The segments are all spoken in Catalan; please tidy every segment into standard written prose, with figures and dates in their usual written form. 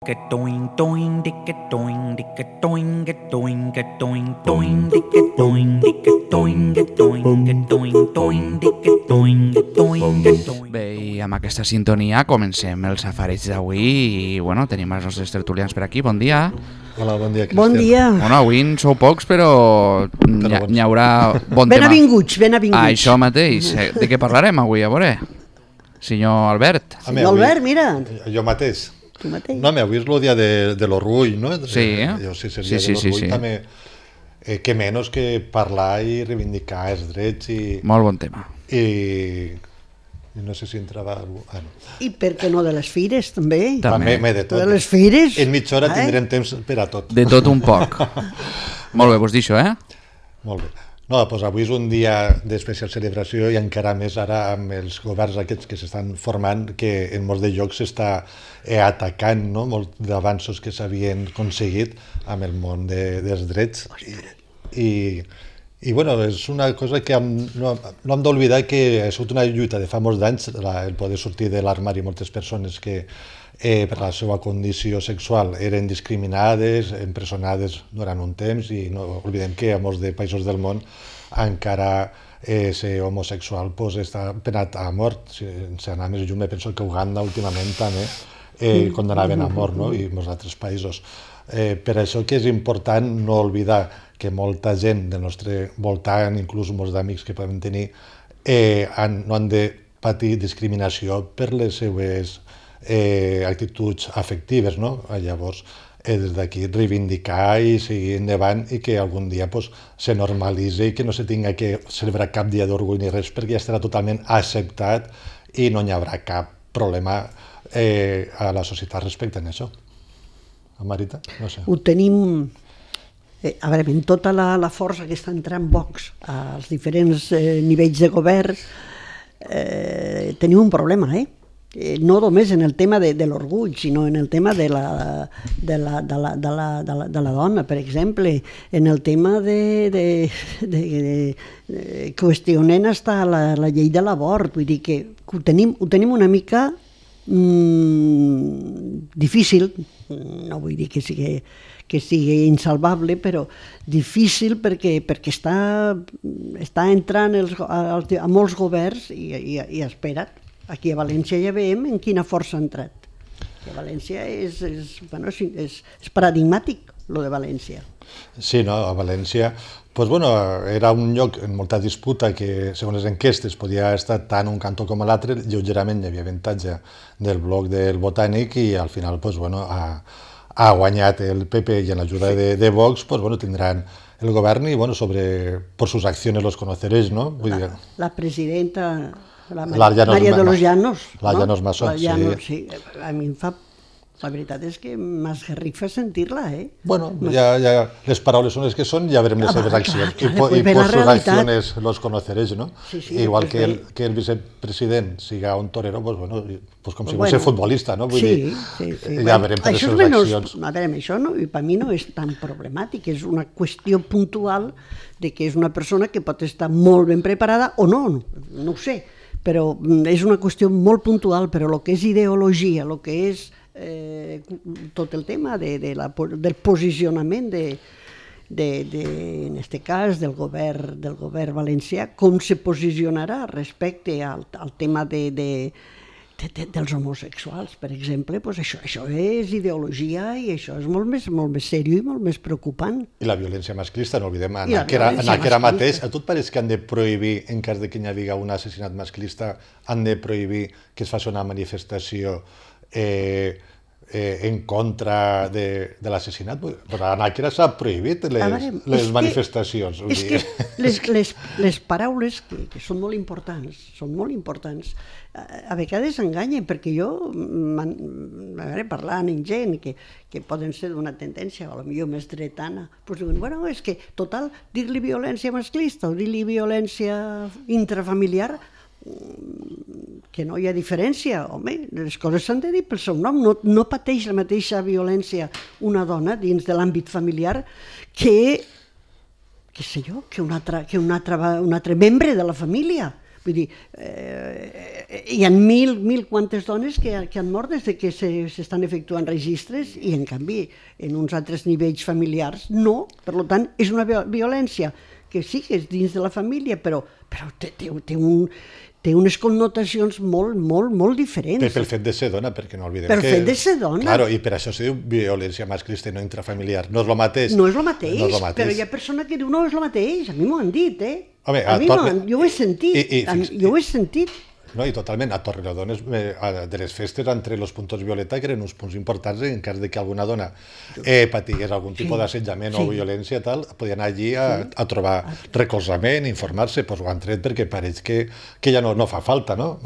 Doing doing dicka doing dicka doing doing doing doing dicka doing dicka doing doing doing doing dicka doing doing doing. Bé, i amb aquesta sintonia comencem el safareig d'avui i bueno, tenim els nostres tertulians per aquí. Bon dia. Hola, bon dia, Cristian. Bon dia. Bueno, avui en sou pocs, però n'hi haurà bon tema. Benvinguts. Això mateix. De què parlarem avui, a veure? Senyor Albert. Senyor Albert, mira. Jo mateix. Tu mateix. No, avui és el dia de l'orgull, no? Sí, sí, seria de l'orgull també. Que menys que parlar i reivindicar els drets i... Molt bon tema. I no sé si entrava... Ah, no. I per què no de les fires, també? També de tot. De les fires? En mitja hora tindrem temps per a tot. De tot un poc. Molt bé, vos d'això, Molt bé. No, doncs avui és un dia d'especial celebració i encara més ara amb els governs aquests que s'estan formant, que en molts de llocs s'està atacant, no? Molts d'avanços que s'havien aconseguit amb el món dels drets. I bueno, és una cosa que no hem d'oblidar que ha sigut una lluita de fa molts d'anys el poder sortir de l'armari moltes persones que per la seva condició sexual eren discriminades, empresonades durant un temps, i no oblidem que a molts de països del món encara ser homosexual està penat a mort. Sense anar més lluny, penso que Uganda últimament també condenaven a mort, no? I molts altres països. Per això que és important no oblidar que molta gent del nostre voltant, inclús molts d'amics que podem tenir, no han de patir discriminació per les seues actituds afectives, no? Llavors, des d'aquí reivindicar i seguir endavant i que algun dia se normalitzi i que no se tinga que celebrar cap dia d'orgull ni res, perquè ja estarà totalment acceptat i no hi haurà cap problema a la societat respecte a això. Marita? No sé. Ho tenim... A veure, amb tota la força que està entrant Vox als diferents nivells de govern, tenim un problema, no només en el tema de l'orgull, sinó en el tema de la dona, per exemple, en el tema de qüestionant hasta la llei de l'abort. Vull dir que ho tenim una mica difícil, no vull dir que sigui insalvable, però difícil perquè està entrant a molts governs i espera't. Aquí a València ja veiem en quina força ha entrat. A València és paradigmàtic, lo de València. Sí, no, a València era un lloc en molta disputa que, segons les enquestes, podia estar tant un cantó com l'altre. Lleugerament hi havia avantatge del bloc del Botànic i al final ha guanyat el PP i amb l'ajuda de Vox tindran el govern i por sus acciones los conoceréis, ¿no? La presidenta... María de los Llanos. La Llanos Massó, sí. A mi la veritat és que m'esgarrifa sentir-la, Bueno, ja les paraules són les que són, ja veurem les seves accions. I por sus acciones los conoceréis, ¿no? Sí, igual que el vicepresident siga un torero, com si fos futbolista, no? Vull dir, ja veurem per les seves accions. A veure, això per mi no és tan problemàtic, és una qüestió puntual de que és una persona que pot estar molt ben preparada o no ho sé, però és una qüestió molt puntual, però el que és ideologia, el que és tot el tema del posicionament en aquest cas del govern valencià, com se posicionarà respecte al tema dels homosexuals, per exemple, això és ideologia i això és molt més seriós i molt més preocupant. I la violència masclista, no oblidem, en aquera mateix, a tu et pareix que han de prohibir, en cas de que hi hagi un assassinat masclista, han de prohibir que es faci una manifestació en contra de l'assassinat? Però a Nàquera s'ha prohibit les manifestacions. És que les paraules que són molt importants, a vegades enganyen, perquè jo, parlant amb gent que poden ser d'una tendència, potser més dretana, diuen, bueno, és que, total, dir-li violència masclista o dir-li violència intrafamiliar, que no hi ha diferència. Home, les coses s'han de dir pel seu nom. No pateix la mateixa violència una dona dins de l'àmbit familiar que un altre membre de la família. Vull dir, hi ha mil quantes dones que han mort des de que s'estan efectuant registres i, en canvi, en uns altres nivells familiars, no. Per tant, és una violència que sí que és dins de la família, però té unes connotacions molt diferents. Pel fet de ser dona, perquè no oblidem que... Per fet de ser dona. Claro, i per això se diu violència masclista i no intrafamiliar. No és el mateix. No és el mateix, però hi ha persona que diu no, és el mateix. A mi m'ho han dit, Home, jo ho he sentit. Jo ho he sentit. No, i totalment, a Torrelodones, de les festes, entre els puntos violeta, que eren uns punts importants en cas de que alguna dona patigués algun tipus d'assetjament o violència, tal, podien anar allí a trobar recolzament, informar-se, doncs ho han tret perquè pareix que ja no fa falta, no?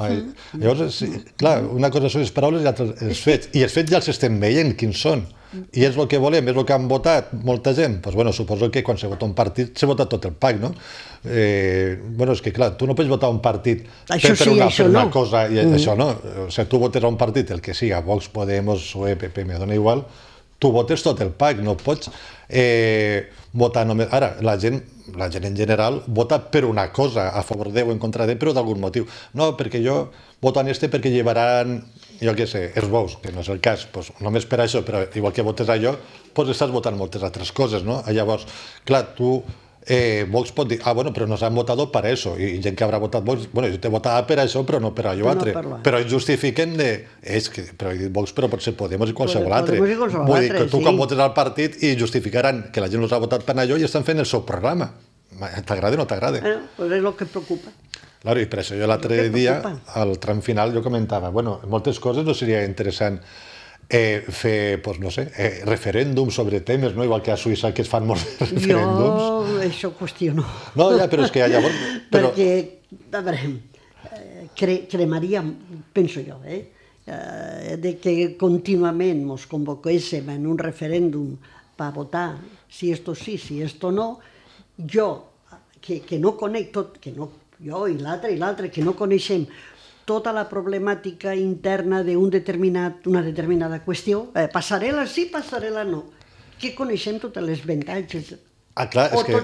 Llavors, clar, una cosa són les paraules i l'altra els fets, i els fets ja els estem veient quins són. I és el que volem, és el que han votat molta gent. Doncs bueno, suposo que quan se vota un partit se vota tot el PAC, no? Bueno, és que clar, tu no pots votar un partit per una cosa i això no. O sigui, tu votes a un partit, el que siga, Vox, Podemos, PSOE, PP, me dona igual, tu votes tot el PAC, no pots votar només... Ara, la gent en general vota per una cosa, a favor de o en contra de, però d'algun motiu. No, perquè jo voto en este perquè llevaran, jo què sé, els bous, que no és el cas, doncs només per això, però igual que votes allò, doncs estàs votant moltes altres coses, no? Llavors, clar, tu... Vox pot dir, bueno, però nos han votado per això, i gent que haurà votat Vox, bueno, jo t'he votat per això, però no per allò altre. Però ells justifiquen però he dit Vox, però pot ser Podemos i qualsevol altre. Vull dir que tu quan votes al partit i justificaran que la gent els ha votat per allò i estan fent el seu programa. T'agrada o no t'agrada? Doncs és el que preocupa. Claro, i per això jo l'altre dia, al tram final, jo comentava, bueno, en moltes coses no seria interessant fer, doncs no sé, referèndums sobre temes, no? Igual que a Suïssa que es fan molts referèndums. Jo això ho qüestiono. No, ja, però és que llavors... Perquè, a veure, cremaria, penso jo, de que contínuament ens convoquéssim en un referèndum per votar si esto sí, si esto no, jo, que no conec tot, que no, jo i l'altre, que no coneixem tota la problemàtica interna d'una determinada qüestió, passarel·la sí, passarel·la no, que coneixem totes les avantatges. Clar, és que...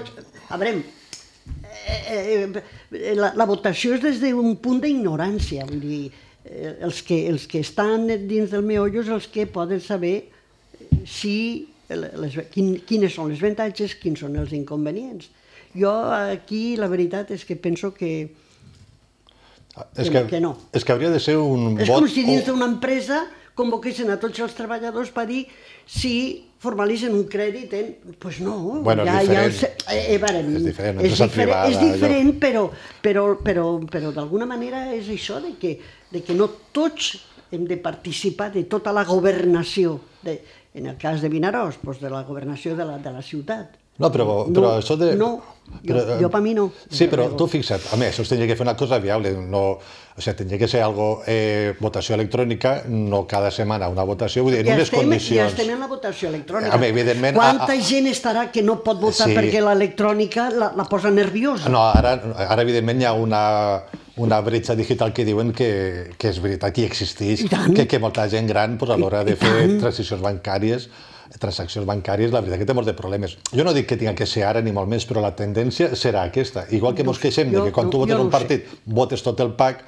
A veure, la votació és des d'un punt d'ignorància, vull dir, els que estan dins del meollo és els que poden saber quines són les avantatges, quins són els inconvenients. Jo aquí la veritat és que penso que no. És que hauria de ser un vot... És com si dins d'una empresa convoquessin a tots els treballadors per dir si formalitzen un crèdit, doncs no. Bueno, és diferent. És diferent, però d'alguna manera és això de que no tots hem de participar de tota la governació, en el cas de Vinaròs, de la governació de la ciutat. No, però això de... No, jo per mi no. Sí, però tu fixa't, a més, això tindria que fer una cosa viable, o sigui, tindria que ser votació electrònica, no cada setmana una votació, vull dir, en unes condicions... Ja estem en la votació electrònica. Evidentment... Quanta gent estarà que no pot votar perquè l'electrònica la posa nerviosa? No, ara evidentment hi ha una bretxa digital que diuen que és veritat, que existeix, que molta gent gran a l'hora de fer transaccions bancàries, la veritat que té molts de problemes. Jo no dic que tinga que ser ara ni molt més, però la tendència serà aquesta. Igual que ens queixem de que quan tu votes un partit votes tot el PAC,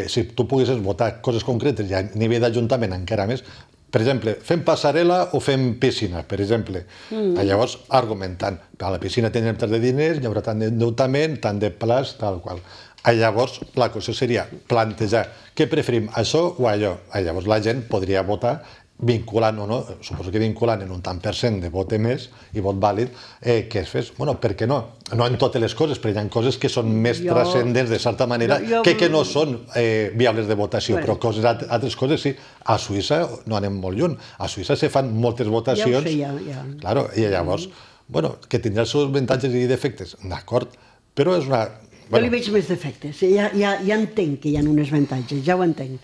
si tu poguessis votar coses concretes i a nivell d'Ajuntament encara més, per exemple, fem passarel·la o fem piscina, per exemple. Llavors, argumentant, a la piscina tindrem tant de diners, hi haurà tant d'endeutament, tant de plaç, tal qual. Llavors, la qüestió seria plantejar què preferim, això o allò. Llavors, la gent podria votar vinculant o no, suposo que vinculant en un tant per cent de vot emès i vot vàlid, que es fes. Bueno, per què no? No en totes les coses, però hi ha coses que són més transcendents de certa manera que no són viables de votació, però altres coses sí. A Suïssa no anem molt lluny. A Suïssa se fan moltes votacions. Ja ho sé, ja. Claro, i llavors, bueno, que tindrà els seus avantatges i defectes, d'acord, però és una... Jo li veig més defectes. Ja entenc que hi ha uns avantatges, ja ho entenc,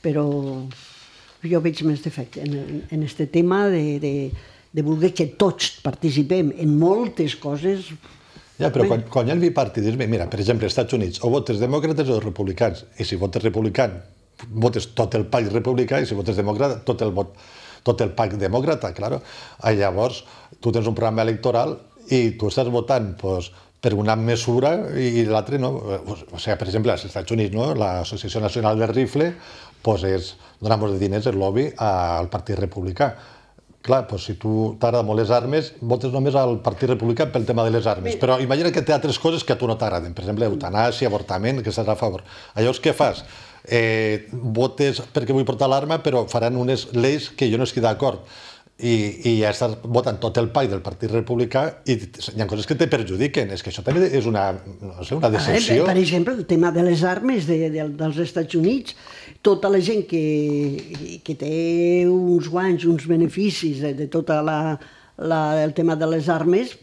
però jo veig més defecte en aquest tema de voler que tots participem en moltes coses. Ja, però quan hi ha el bipartidisme, mira, per exemple, als Estats Units, o votes demòcrates o republicans, i si votes republicà, votes tot el PAC republicà, i si votes demòcrata, tot el PAC demòcrata, claro. Llavors, tu tens un programa electoral i tu estàs votant per una mesura i l'altra no. O sigui, per exemple, als Estats Units, no? l'Associació Nacional del Rifle dona molts de diners, el lobby, al Partit Republicà. Clar, doncs si tu t'agrada molt les armes, votes només al Partit Republicà pel tema de les armes. Però imagina que té altres coses que a tu no t'agraden. Per exemple, eutanàsia, avortament, que estàs a favor. Llavors, què fas? Votes perquè vull portar l'arma, però faran unes lleis que jo no estic d'acord. I ja estàs votant tot el pack del Partit Republicà i hi ha coses que te perjudiquen. És que això també és una decepció. Per exemple, el tema de les armes dels Estats Units, tota la gent que té uns guanys, uns beneficis de tot el tema de les armes,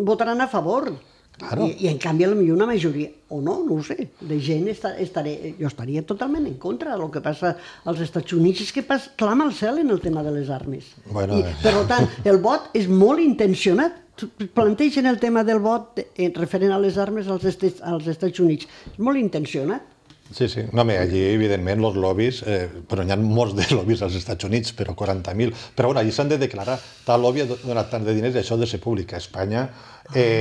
votaran a favor. Claro. I en canvi, potser una majoria, o no ho sé, de gent jo estaria totalment en contra. El que passa als Estats Units és que clama al cel en el tema de les armes. Bueno, Per tant, el vot és molt intencionat. Plantegen el tema del vot referent a les armes als Estats Units. És molt intencionat. Sí, sí. No, allí, evidentment, els lobbies, però n'hi ha molts de lobbies als Estats Units, però 40.000. Però bueno, allí s'han de declarar. Tal lobby ha donat tant de diners i això ha de ser públic. A Espanya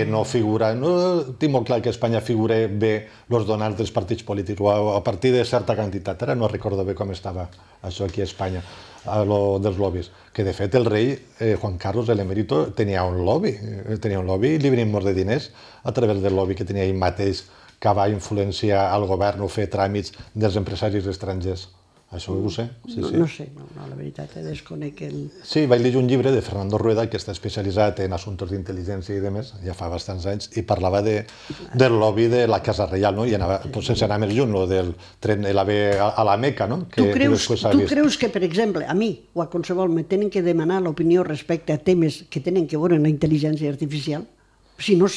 no figura... No tinc molt clar que a Espanya figure bé els donants dels partits polítics, o a partir de certa quantitat. Ara no recordo bé com estava això aquí a Espanya, dels lobbies. Que, de fet, el rei Juan Carlos, l'emèrito, tenia un lobby i li venien molts de diners a través del lobby que tenia ell mateix, que va influenciar el govern o fer tràmits dels empresaris estrangers. Això ho sé. No sé, la veritat, desconec el... Sí, vaig llegir un llibre de Fernando Rueda, que està especialitzat en assumptes d'intel·ligència i demés, ja fa bastants anys, i parlava del lobby de la Casa Reial, no? I anava, sense anar més lluny, del tren l'AVE a la Meca, no? Tu creus que, per exemple, a mi o a qualsevol me tenen que demanar l'opinió respecte a temes que tenen que veure amb la intel·ligència artificial? Si no,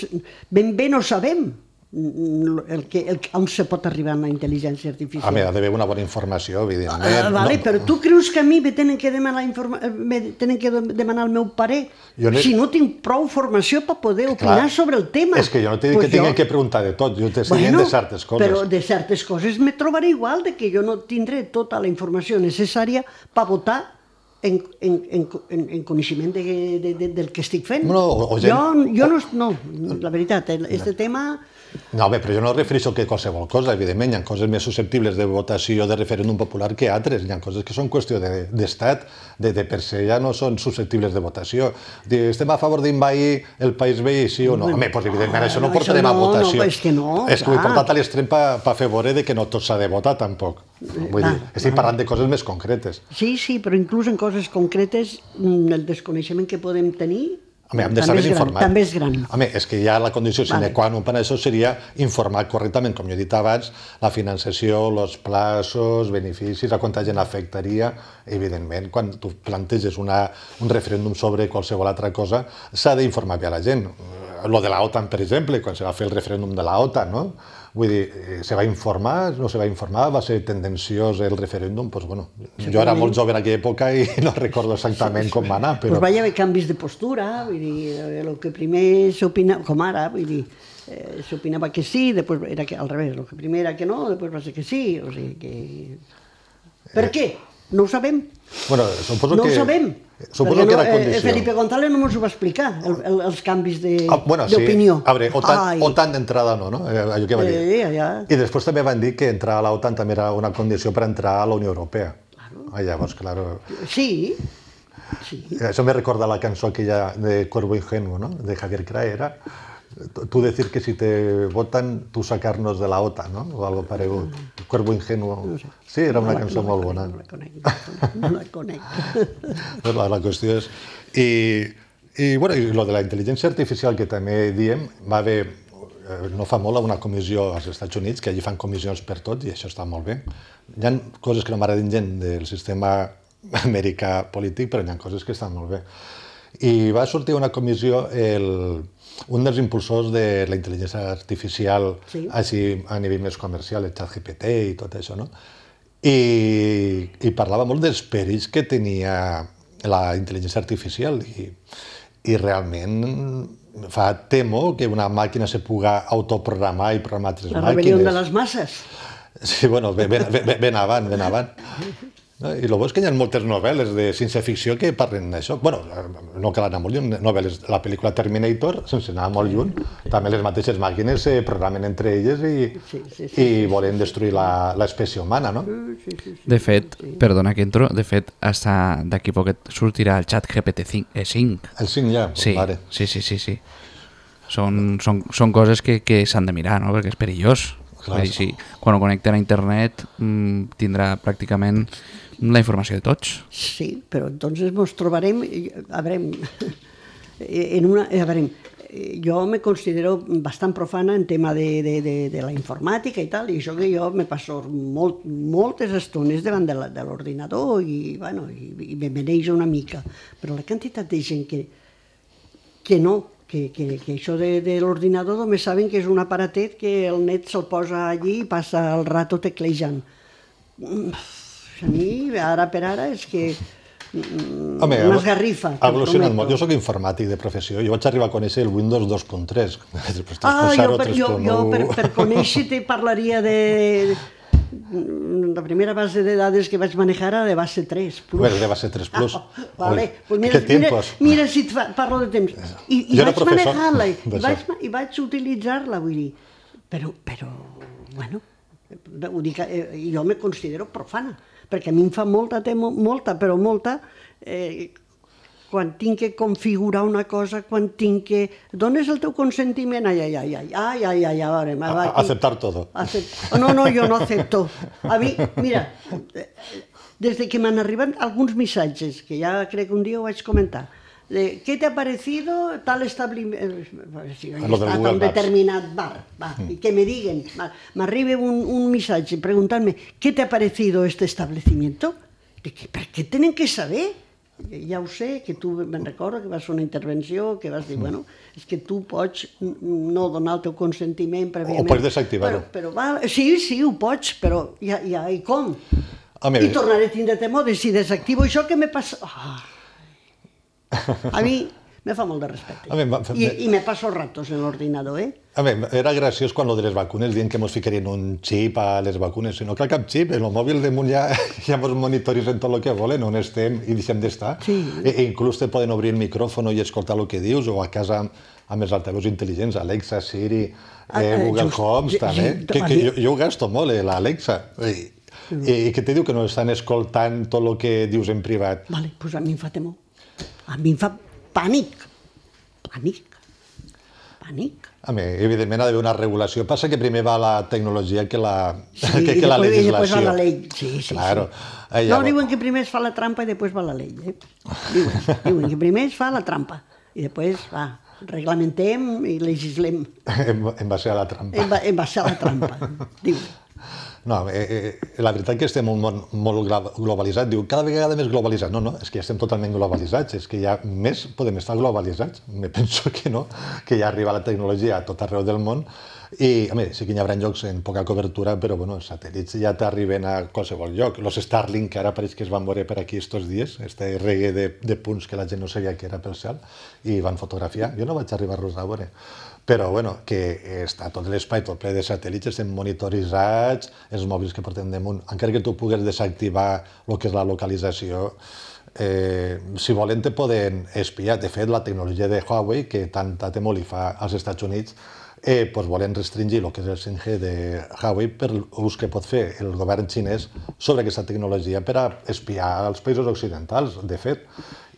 ben bé no sabem on se pot arribar amb la intel·ligència artificial. Ha d'haver una bona informació, evidentment. Vale, però tu creus que a mi me tenen que demanar el meu parer si no tinc prou formació per poder opinar sobre el tema? És que jo no t'he dit que tinguin que preguntar de tot, jo t'estic dient de certes coses. Però de certes coses me trobaré igual, de que jo no tindré tota la informació necessària per votar en coneixement del que estic fent. Jo no, la veritat, este tema... No, però jo no refereixo que qualsevol cosa, evidentment, hi ha coses més susceptibles de votació de referèndum popular que altres, hi ha coses que són qüestió d'estat, de per se ja no són susceptibles de votació. Estem a favor d'invair el país veí, sí o no? Home, doncs evidentment això no portarem a votació. És que no, és que ho he portat a l'extrem per fer veure que no tot s'ha de votar, tampoc. Vull dir, estic parlant de coses més concretes. Sí, però inclús en coses concretes el desconeixement que podem tenir hem de saber informar. També és gran. Home, és que ja la condició sine qua non per això seria informar correctament, com jo he dit abans, la financiació, els plaços, beneficis, a quanta gent afectaria. Evidentment, quan tu planteges un referèndum sobre qualsevol altra cosa, s'ha d'informar bé a la gent. Lo de l'OTAN, per exemple, quan se va fer el referèndum de l'OTAN, no? Vull dir, se va informar, no se va informar, va ser tendenciós el referèndum, doncs bueno, jo era molt jove en aquella època i no recordo exactament com va anar, però... Doncs va haver canvis de postura, vull dir, el que primer s'opinava, com ara, vull dir, s'opinava que sí, després era al revés, el que primer era que no, després va ser que sí, o sigui que... Per què? No ho sabem. Bueno, suposo que... No ho sabem. Suposo que era condició. Felipe González no ens ho va explicar, els canvis d'opinió. A veure, OTAN d'entrada no? Allò que va dir. I després també van dir que entrar a l'OTAN també era una condició per entrar a la Unió Europea. Llavors, clar... Sí. Això me recorda la cançó aquella de Cuervo Ingenuo, ¿no? De Javier Crae, tú decir que si te votan, tú sacarnos de la OTAN, ¿no? O algo paregut. Cuervo Ingenuo. Sí, era una cançó molt bona. No la conec. La qüestió és... I lo de la intel·ligència artificial que també diem, va haver, no fa molt, una comissió als Estats Units, que allí fan comissions per tot, i això està molt bé. Hi ha coses que no m'agraden gent del sistema americà polític, però hi ha coses que estan molt bé. I va sortir una comissió, un dels impulsors de la intel·ligència artificial, així a nivell més comercial, el ChatGPT i tot això, no? I parlava molt dels perills que tenia la intel·ligència artificial i realment temo que una màquina se puga autoprogramar i programar altres màquines. La rebel·lió de les masses. Sí, bueno, ben avant. No? I el bo és que hi ha moltes novel·les de ciència-ficció que parlen d'això. Bueno, no cal anar molt lluny, novel·les. La pel·lícula Terminator, sense anar molt lluny, també les mateixes màquines se programen entre elles i volen destruir l'espècie humana, no? De fet, perdona que entro, de fet, hasta d'aquí poquet sortirà el xat GPT-5. El 5 ja, Sí, vale. sí. Són coses que s'han de mirar, no? Perquè és perillós. Clar. Vull dir, sí, quan ho connecten a internet tindrà pràcticament la informació de tots. Sí, però entonces ens trobarem, a veure, jo me considero bastant profana en tema de la informàtica i tal, i això que jo me passo moltes estones davant de l'ordinador i me meneix una mica, però la quantitat de gent que no, que això de l'ordinador només saben que és un aparatet que el net se'l posa allí i passa el rato teclejant. A mi, ara per ara, és que m'esgarrifa. Ha evolucionat molt. Jo soc informàtic de professió. Jo vaig arribar a conèixer el Windows 2.3. Jo per conèixer te parlaria de... La primera base de dades que vaig manejar era de base 3 Plus. Bueno, de base 3 Plus. Vale. Mira si et parlo de temps. I vaig manejar-la i vaig utilitzar-la, vull dir. Però, bueno, jo me considero profana, perquè a mi em fa molta, quan tinc que configurar una cosa, quan tinc que... Dones el teu consentiment? Aceptar todo. No, jo no acepto. A mi, mira, des de que m'han arribat alguns missatges, que ja crec que un dia ho vaig comentar, ¿qué te ha parecido tal establecimiento? A un determinat bar, y que me digan, m'arriba un missatge preguntant-me, ¿qué te ha parecido este establecimiento? ¿Per què tenen que saber? Ja ho sé, que tu me'n recordo que vas fer una intervenció, que vas dir, bueno, és que tu pots no donar el teu consentiment prèviament. O pots desactivar-ho. Sí, ho pots, però ja, i com? I tornaré a tindre temor de si desactivo això, què me passa? A mi me fa molt de respecte. I me passo ratos en l'ordinador, A mi, era graciós quan lo de les vacunes diuen que mos ficarien un xip a les vacunes. No cal cap xip, en el mòbil damunt ja mos monitoritzen tot el que volen, on estem i deixem d'estar. Inclús te poden obrir el micròfon i escoltar el que dius, o a casa amb els altaveus intel·ligents, Alexa, Siri, Google Homes, també. Jo ho gasto molt, l'Alexa. I que te diu que no estan escoltant tot el que dius en privat. Vale, doncs a mi em fa temor. A mi em fa pànic. A mi, evidentment, ha d'haver una regulació. Passa que primer va la tecnologia que la legislació. I després va la llei. Sí. No, diuen que primer es fa la trampa i després va la llei. Diuen que primer es fa la trampa i després reglamentem i legislem. En base a la trampa. En base a la trampa, diuen. No, la veritat que estem un món molt globalitzat. Diu, cada vegada més globalitzat. No, és que ja estem totalment globalitzats. És que ja més podem estar globalitzats. Me penso que no, que ja arriba la tecnologia a tot arreu del món. I, a més, sí que hi haurà llocs en poca cobertura, però, bueno, els satèl·lits ja t'arriben a qualsevol lloc. Los Starlink, que ara pareix que es van veure per aquí estos dies, este regue de punts que la gent no sabia que era pel cel, i van fotografiar. Jo no vaig arribar-los a veure. Però, bueno, que està tot l'espai, tot ple de satèl·lits, estem monitoritzats, els mòbils que portem damunt. Encara que tu pugues desactivar el que és la localització, si volen te poden espiar. De fet, la tecnologia de Huawei, que tanta temor li fa als Estats Units, volen restringir el que és el 5G de Huawei per l'ús que pot fer el govern xinès sobre aquesta tecnologia per a espiar els països occidentals, de fet.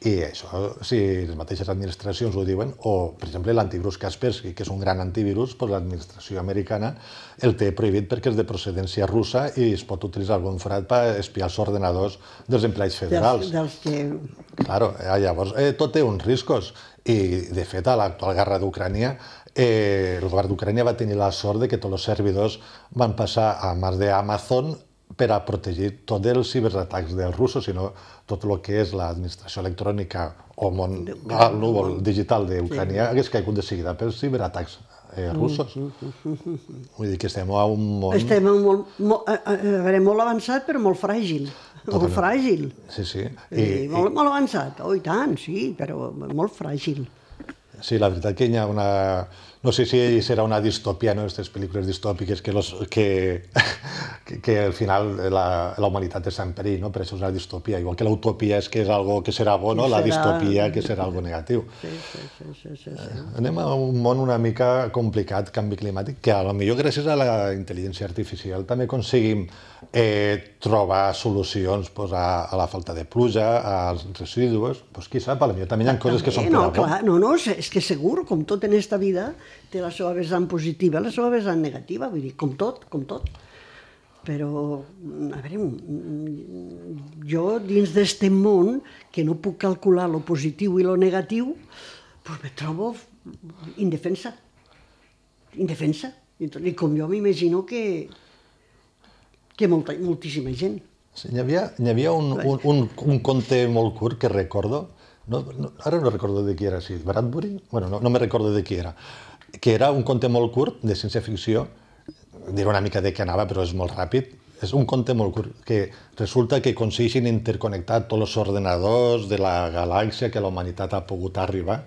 I això, si les mateixes administracions ho diuen, o, per exemple, l'antivirus Kaspersky, que és un gran antivirus, l'administració americana el té prohibit perquè és de procedència russa i es pot utilitzar algun forat per espiar els ordenadors dels empleats federals. Claro, llavors, tot té uns riscos. I, de fet, a l'actual guerra d'Ucrània, el govern d'Ucrània va tenir la sort que tots els servidors van passar a mans d'Amazon per a protegir tots els ciberatacs dels russos, sinó tot el que és l'administració electrònica o el núvol digital d'Ucrània hagués caigut de seguida pels ciberatacs russos. Vull dir que estem a un món... Estem molt avançat, però molt fràgil. Molt fràgil. Sí. Molt avançat, i tant, sí, però molt fràgil. Sí, la veritat que hi ha una... No sé si serà una distòpia, no?, aquestes pel·lícules distòpiques que que al final la humanitat està en perill, no? Per això és una distopia. Igual que l'utopia és que és algo que serà bo, no? La distopia que serà algo negatiu. Sí. Anem a un món una mica complicat, canvi climàtic, que a lo millor gràcies a la intel·ligència artificial també aconseguim trobar solucions pues, a la falta de pluja, als residus, pues, qui sap, a lo millor també hi ha coses que són per a bo. No, és que segur, com tot en esta vida, té la seva vessant positiva, la seva vessant negativa, vull dir, com tot. Però, a veure, jo dins d'este món, que no puc calcular lo positiu i lo negatiu, doncs me trobo indefensa. I com jo m'imagino que moltíssima gent. Sí, hi havia un conte molt curt que recordo, ara no recordo de qui era, sí, Bradbury? Bueno, no me recordo de qui era, que era un conte molt curt de ciència-ficció, diré una mica de què anava, però és molt ràpid. És un conte molt curt, que resulta que aconsegueixen interconnectar tots els ordenadors de la galàxia que la humanitat ha pogut arribar,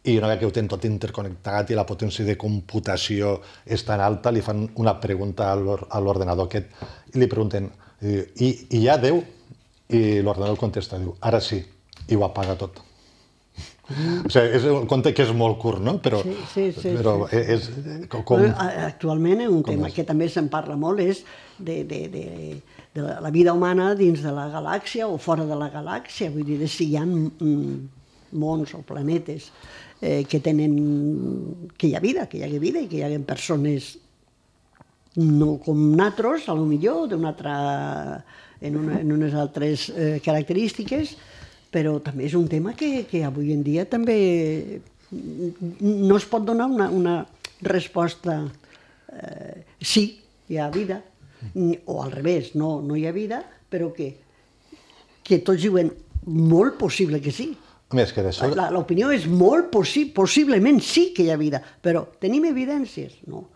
i una vegada que ho tenen tot interconnectat i la potència de computació és tan alta, li fan una pregunta a l'ordenador aquest, i li pregunten, i hi ha Déu? I l'ordenador contesta, diu, ara sí, i ho apaga tot. O sigui, és un conte que és molt curt, no? Però és com... Actualment, un tema que també se'n parla molt és de la vida humana dins de la galàxia o fora de la galàxia, vull dir, si hi ha mons o planetes que hi ha vida i que hi ha persones no com nosaltres, a lo millor, en unes altres característiques, però també és un tema que avui en dia també no es pot donar una resposta sí, hi ha vida, o al revés, no hi ha vida, però que tots diuen molt possible que sí. L'opinió és molt possiblement sí que hi ha vida, però tenim evidències? No.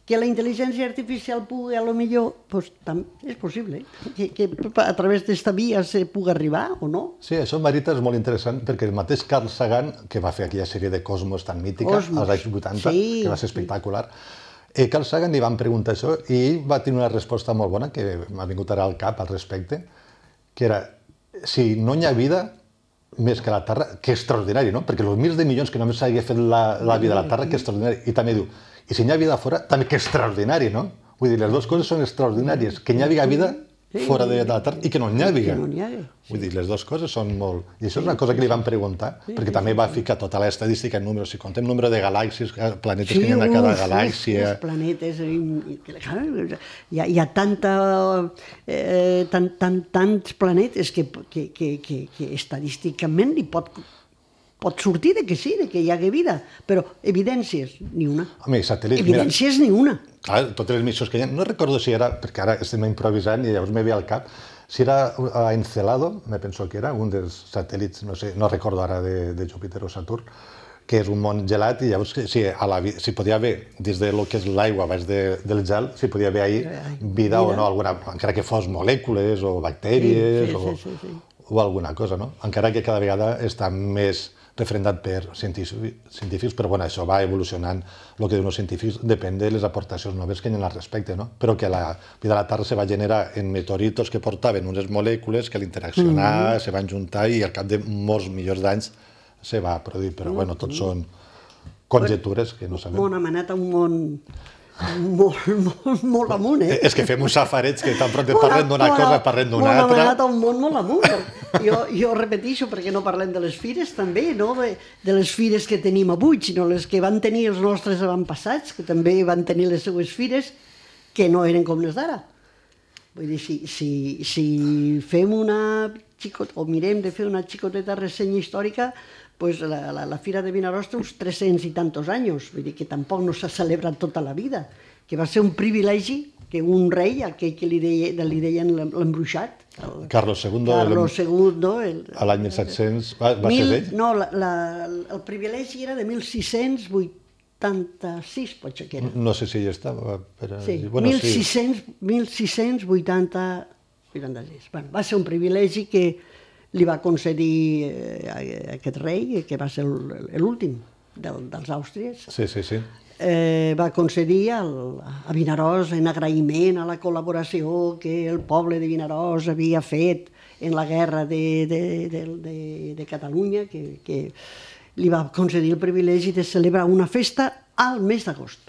Que la intel·ligència artificial pugui, a lo millor, és possible, que a través d'esta via se pugui arribar o no. Sí, això, Marita, és molt interessant, perquè el mateix Carl Sagan, que va fer aquella sèrie de Cosmos tan mítica, als anys 80, que va ser espectacular, Carl Sagan li van preguntar això i ell va tenir una resposta molt bona, que m'ha vingut ara al cap al respecte, que era, si no hi ha vida més que la Terra, que extraordinari, no? Perquè els mils de milions que només s'hagi fet la vida a la Terra, que extraordinari. I també diu, i si hi ha vida fora, també que extraordinari, no? Vull dir, les dues coses són extraordinàries, que hi ha vida fora de la Terra i que no n'hi ha vida. Vull dir, les dues coses són molt... I això és una cosa que li van preguntar, perquè també va ficar tota l'estadística en números. Si contem número de galàxies, planetes que hi ha a cada galàxia... Sí, planetes... Hi ha tants planetes que estadísticament li pot sortir de que sí, de que hi hagi vida, però evidències, ni una. Home, satèl·lits... Evidències, ni una. Clar, totes les missions que hi ha... No recordo si era, perquè ara estem improvisant i llavors me ve al cap, si era a Encelado, me penso que era, un dels satèl·lits, no sé, no recordo ara de Júpiter o Saturn, que és un món gelat i llavors si podia haver, dins del que és l'aigua, baix del gel, si podia haver ahí vida o no, encara que fos molècules o bactèries o alguna cosa, no? Encara que cada vegada està més referendat per científics, però bueno, això va evolucionant. El que diuen els científics depèn de les aportacions noves que hi ha al respecte, no? Però que la vida a la Terra se va generar en meteoritos que portaven unes molècules que a l'interaccionar se van juntar i al cap de molts milions d'anys se va produir, però bueno, tots són conjectures que no sabem. Hem anat a un món molt amunt, eh? És que fem uns safarets que tan pront parlem d'una cosa, parlem d'una altra. Hem anat a un món molt amunt. Jo repeteixo, perquè no parlem de les fires també, no de les fires que tenim avui, sinó les que van tenir els nostres avantpassats, que també van tenir les seues fires, que no eren com les d'ara. Vull dir, si fem o mirem de fer una xicoteta ressenya històrica, pues la Fira de Vinaròs té uns 300 i tantos anys, vull dir que tampoc no s'ha celebrat tota la vida, que va ser un privilegi que un rei, aquell que li deien l'embruixat, Carlos II, a l'any 1700, va ser ell? No, el privilegi era de 1686, potser que era. No sé si hi estava. Sí, 1686. Va ser un privilegi que li va concedir aquest rei, que va ser l'últim. dels àustries, Sí, sí, sí. va concedir a Vinaròs en agraïment a la col·laboració que el poble de Vinaròs havia fet en la guerra de Catalunya, que li va concedir el privilegi de celebrar una festa al mes d'agost.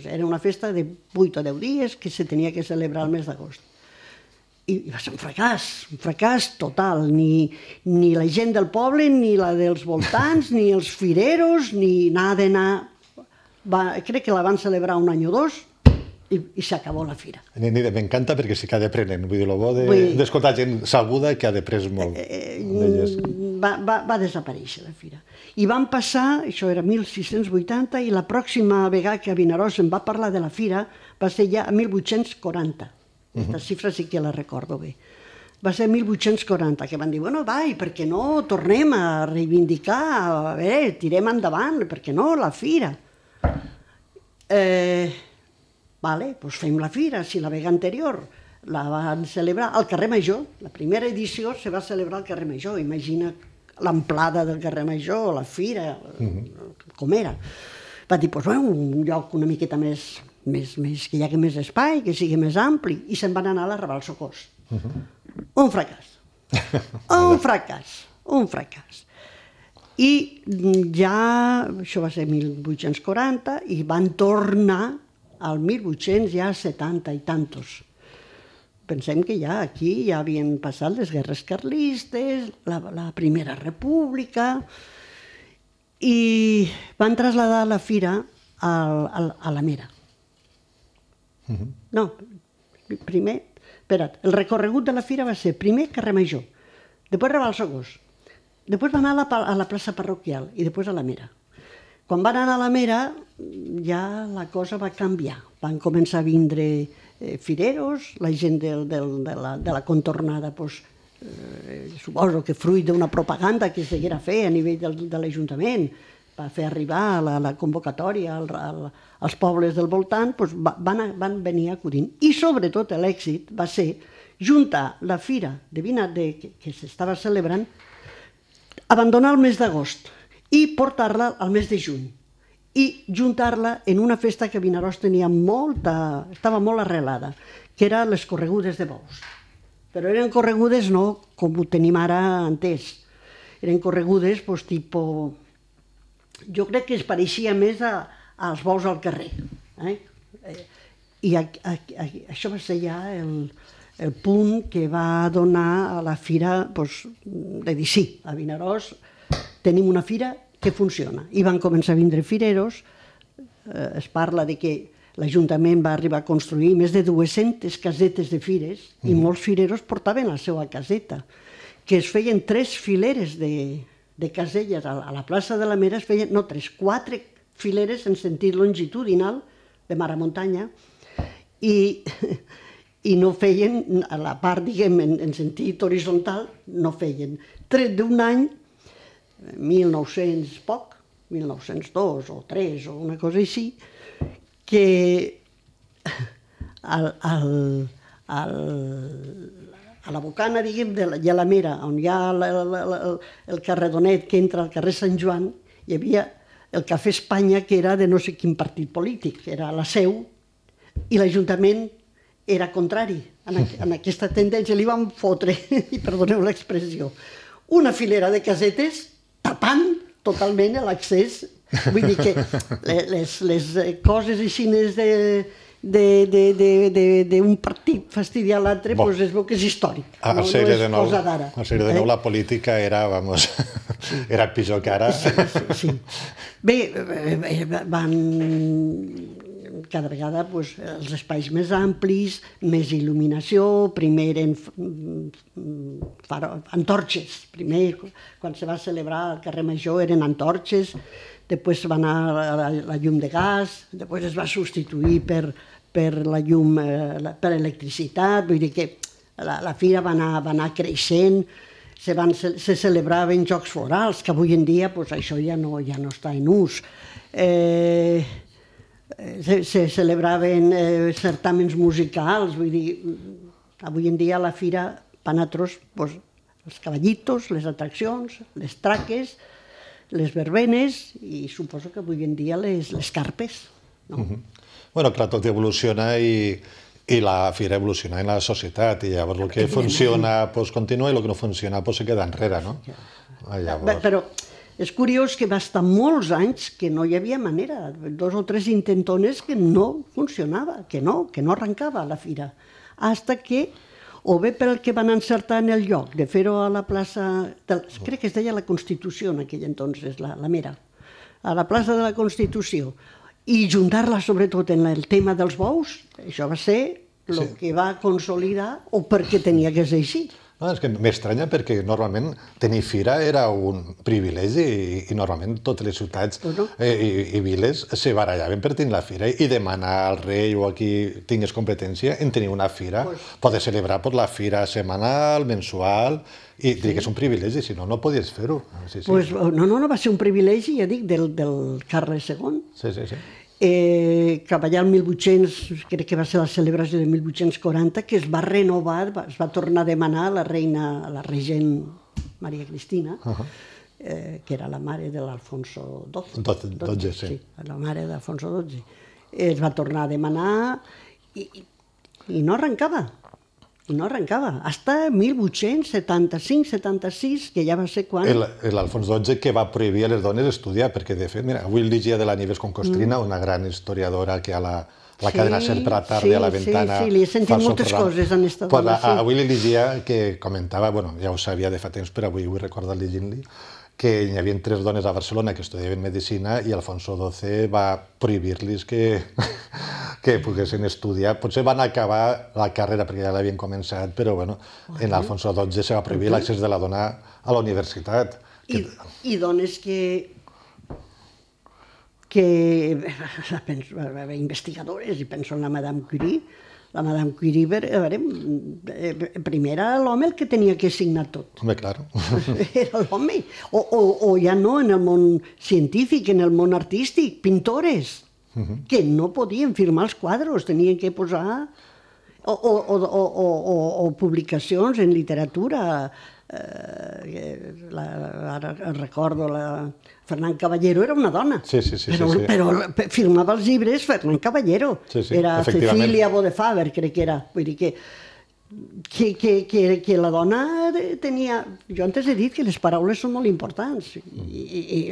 Era una festa de 8 o 10 dies que se tenia que celebrar al mes d'agost. I va ser un fracàs total. Ni la gent del poble, ni la dels voltants, ni els fireros, ni nada d'anar. Crec que la van celebrar un any o dos i s'acabó la fira. M'encanta perquè sí que ha d'aprenent. Vull dir, el bo d'escoltar gent sabuda que ha d'après molt. Va desaparèixer la fira. I van passar, això era 1680, i la pròxima vegada que a Vinaròs em va parlar de la fira va ser ja a 1840. Aquesta xifra sí que la recordo bé. Va ser 1840, que van dir, bueno, va, i per què no tornem a reivindicar, a veure, tirem endavant, per què no, la fira? Vale, doncs fem la fira, si la vegada anterior la van celebrar al carrer Major, la primera edició se va celebrar al carrer Major, imagina l'amplada del carrer Major, la fira, com era. Va dir, doncs un lloc una miqueta més, que hi hagi més espai, que sigui més ampli, i se'n van anar a la Raval Socors. Un fracàs. Un fracàs. I ja, això va ser 1840, i van tornar al 1870 i tantos. Pensem que ja aquí ja havien passat les guerres carlistes, la Primera República, i van traslladar la fira a la Mera. No, primer, espera't, el recorregut de la fira va ser primer carrer Major, després Raval Socors, després van anar a la plaça parroquial i després a la Mera. Quan van anar a la Mera ja la cosa va canviar, van començar a vindre fireros, la gent de la contornada, suposo que fruit d'una propaganda que s'haguera fet a nivell de l'Ajuntament, va fer arribar la convocatòria als pobles del voltant, van venir acudint. I sobretot l'èxit va ser juntar la fira de Vinat que s'estava celebrant, abandonar el mes d'agost i portar-la al mes de juny i juntar-la en una festa que Vinaròs tenia estava molt arrelada, que eren les corregudes de bous. Però eren corregudes no com ho tenim ara entès. Eren corregudes tipus... Jo crec que es pareixia més als bous al carrer. I això va ser ja el punt que va donar a la fira de dir sí, a Vinaròs tenim una fira que funciona. I van començar a vindre fireros. Es parla de que l'Ajuntament va arribar a construir més de 200 casetes de fires i molts fireros portaven la seva caseta, que es feien 3 fileres de caselles a la plaça de la Mera, es feien, no 3, 4 fileres en sentit longitudinal, de mar a muntanya, i no feien, a la part, diguem, en sentit horitzontal, no feien. Tret d'un any, 1900 poc, 1902 o 3 o una cosa així, que a la bocana, diguem, de la Mera, on hi ha el carreronet que entra al carrer Sant Joan, hi havia el Cafè Espanya, que era de no sé quin partit polític, era la seu, i l'Ajuntament era contrari en aquesta tendència. Li van fotre, i perdoneu l'expressió, una filera de casetes tapant totalment l'accés. Vull dir que les coses així d'un partit fastidiar l'altre, es veu que és històric, no és cosa d'ara. Al ser de nou la política era, vamos, era pitjor que ara. Sí. Bé, van cada vegada els espais més amplis, més il·luminació, primer eren antorxes, primer quan se va celebrar al carrer Major eren antorxes, després va anar la llum de gas, després es va substituir per la llum, per electricitat, vull dir que la fira va anar creixent, se celebraven jocs florals, que avui en dia això ja no està en ús. Se celebraven certàmens musicals, vull dir, avui en dia a la fira van a els cavallitos, les atraccions, les traques, les verbenes i suposo que avui en dia les carpes. No? Bueno, clar, tot evoluciona i la fira evoluciona en la societat i llavors el que funciona pues, continua i el que no funciona pues, se queda enrere, no? Llavors... Però és curiós que va estar molts anys que no hi havia manera, 2 o 3 intentones que no funcionava, que no arrencava la fira. Hasta que, o bé pel que van encertar en el lloc de fer-ho a la plaça, crec que es deia la Constitució en aquell entonces, la Mera, a la plaça de la Constitució, i juntar-la sobretot en el tema dels bous, això va ser el que va consolidar o perquè tenia que ser així. No, és que m'estranya perquè normalment tenir fira era un privilegi i normalment totes les ciutats i viles se barallaven per tenir la fira i demanar al rei o a qui tingués competència en tenir una fira, poder celebrar la fira setmanal, mensual, i diria que és un privilegi, si no, no podies fer-ho. No, va ser un privilegi, ja dic, del Carles II. Sí. Cap allà el 1800, crec que va ser la celebració de 1840, que es va renovar, es va tornar a demanar a la reina, a la regent Maria Cristina, que era la mare de l'Alfonso XII. Sí, la mare d'Alfonso XII. Es va tornar a demanar i no arrencava. No arrencava, hasta 1875-76, que ja va ser quan... L'Alfons XII que va prohibir a les dones estudiar, perquè de fet, mira, avui llegia de la Nieves Concostrina, una gran historiadora que a la cadena Ser per la tarda a la ventana... Sí, li he sentit moltes coses en esta dona. Avui li llegia que comentava, bueno, ja ho sabia de fa temps, però avui ho he recordat llegint-li, que hi havia 3 dones a Barcelona que estudiaven medicina i Alfonso XII va prohibir-los que poguessin estudiar. Potser van acabar la carrera perquè ja l'havien començat, però bueno, en Alfonso XII se va prohibir l'accés de la dona a la universitat. I dones que investigadores, i penso en la Madame Curie. La Madame Curie, primer era l'home el que tenia que signar tot. Home, clar. Era l'home. O ja no, en el món científic, en el món artístic, pintores, que no podien firmar els quadros, tenien que posar... O publicacions en literatura. Ara recordo, Fernán Caballero era una dona, però firmava els llibres Fernán Caballero. Era Cecília Bodefaber, crec que era. Vull dir que la dona tenia... Jo antes he dit que les paraules són molt importants. I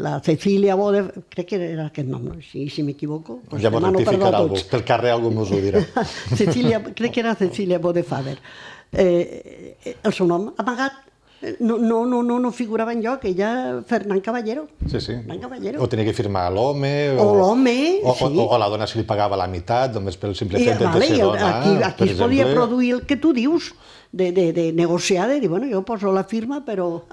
la Cecília Bodefaber, crec que era aquest nom, si m'equivoco. Ja m'ho rectificarà algú, pel carrer algú m'ho dirà. Crec que era Cecília Bodefaber. El seu nom amagat no figurava enlloc, ella Fernán Caballero. O tenia que firmar l'home, o la dona si li pagava la meitat, només pel simple fet de ser dona. Aquí es podia produir el que tu dius, de negociar, de dir, bueno, jo poso la firma, però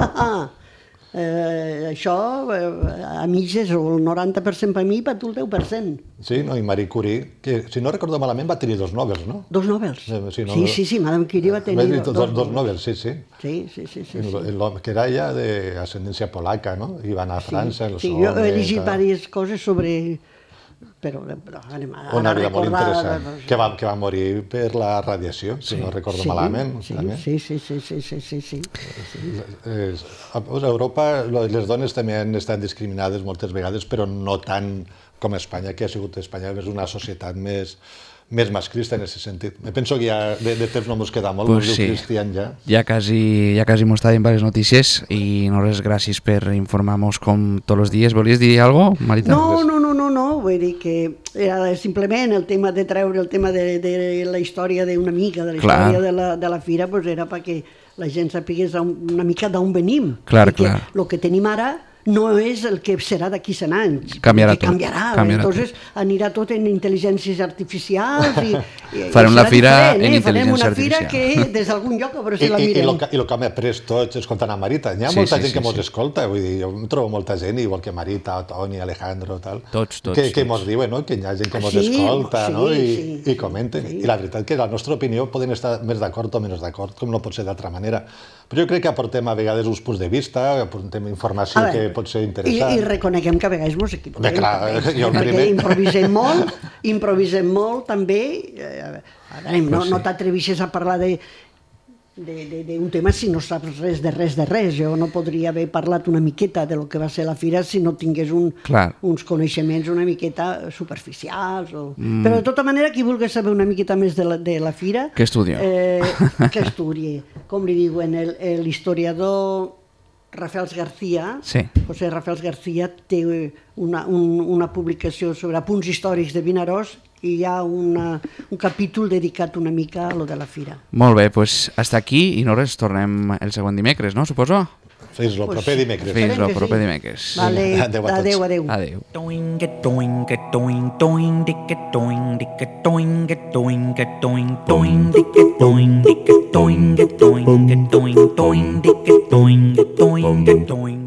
això a mitges, o el 90% per mi, per tu el 10%. Sí, no? I Marie Curie, que si no recordo malament va tenir 2 Nobels, no? 2 Nobels? Sí, Madame Curie va tenir 2 Nobels, sí. Sí. Que era ja d'ascendència polaca, no? I va anar a França... Sí, jo he llegit diverses coses sobre... Però una vida molt interessant, que va morir per la radiació, si no recordo malament. Sí. A Europa les dones també han estat discriminades moltes vegades, però no tant com a Espanya, que ha sigut Espanya una societat més masclista en aquest sentit. Me penso que ja de temps no ens queda molt, pues sí. Cristian ja. Ja quasi hemos estado en varias noticias y no res gràcies per informar-nos com tots els dies. Volies dir alguna cosa, Marita? No, vull dir que era simplement el tema de treure el tema de la història d'una mica, de la història de la fira, pues era perquè la gent sapigués una mica d'on venim. Clar. El que tenim ara no és el que serà d'aquí 100 anys. Canviarà tot. Entonces anirà tot en intel·ligències artificials i farem la fira en intel·ligència artificial. Farem una fira que des d'algun lloc a veure si la mirem. I el que hem après tots escoltant a Marita. Hi ha molta gent que mos escolta, vull dir, jo em trobo molta gent, igual que Marita, Toni, Alejandro, tal, que mos diuen que hi ha gent que mos escolta i comenten. I la veritat que la nostra opinió poden estar més d'acord o menys d'acord, com no pot ser d'altra manera. Però jo crec que aportem a vegades uns punts de vista, aportem informació que pot ser interessant. I reconeguem que a vegades ens equivoquem. Perquè improvisem molt també. No t'atrevixes a parlar de d'un tema si no saps res de res. Jo no podria haver parlat una miqueta de lo que va ser la fira si no tingués uns coneixements una miqueta superficials. Però de tota manera, qui vulgui saber una miqueta més de la fira... Que estudi. Que estudi. Com li diuen, l'historiador Rafael García, José Rafael García, té una publicació sobre apunts històrics de Vinaròs i hi ha un capítol dedicat una mica a lo de la fira. Molt bé, doncs hasta aquí i nosaltres tornem el següent dimecres, no? Suposo? Fins el proper dimecres. Fins el proper dimecres. Vale, adeu. Adeu. Doing it, doing it, doing, doing, dick it, doing it, doing it, doing it, doing, doing, dick it, doing it, doing it, doing it, doing, doing, dick it, doing it, doing it, doing.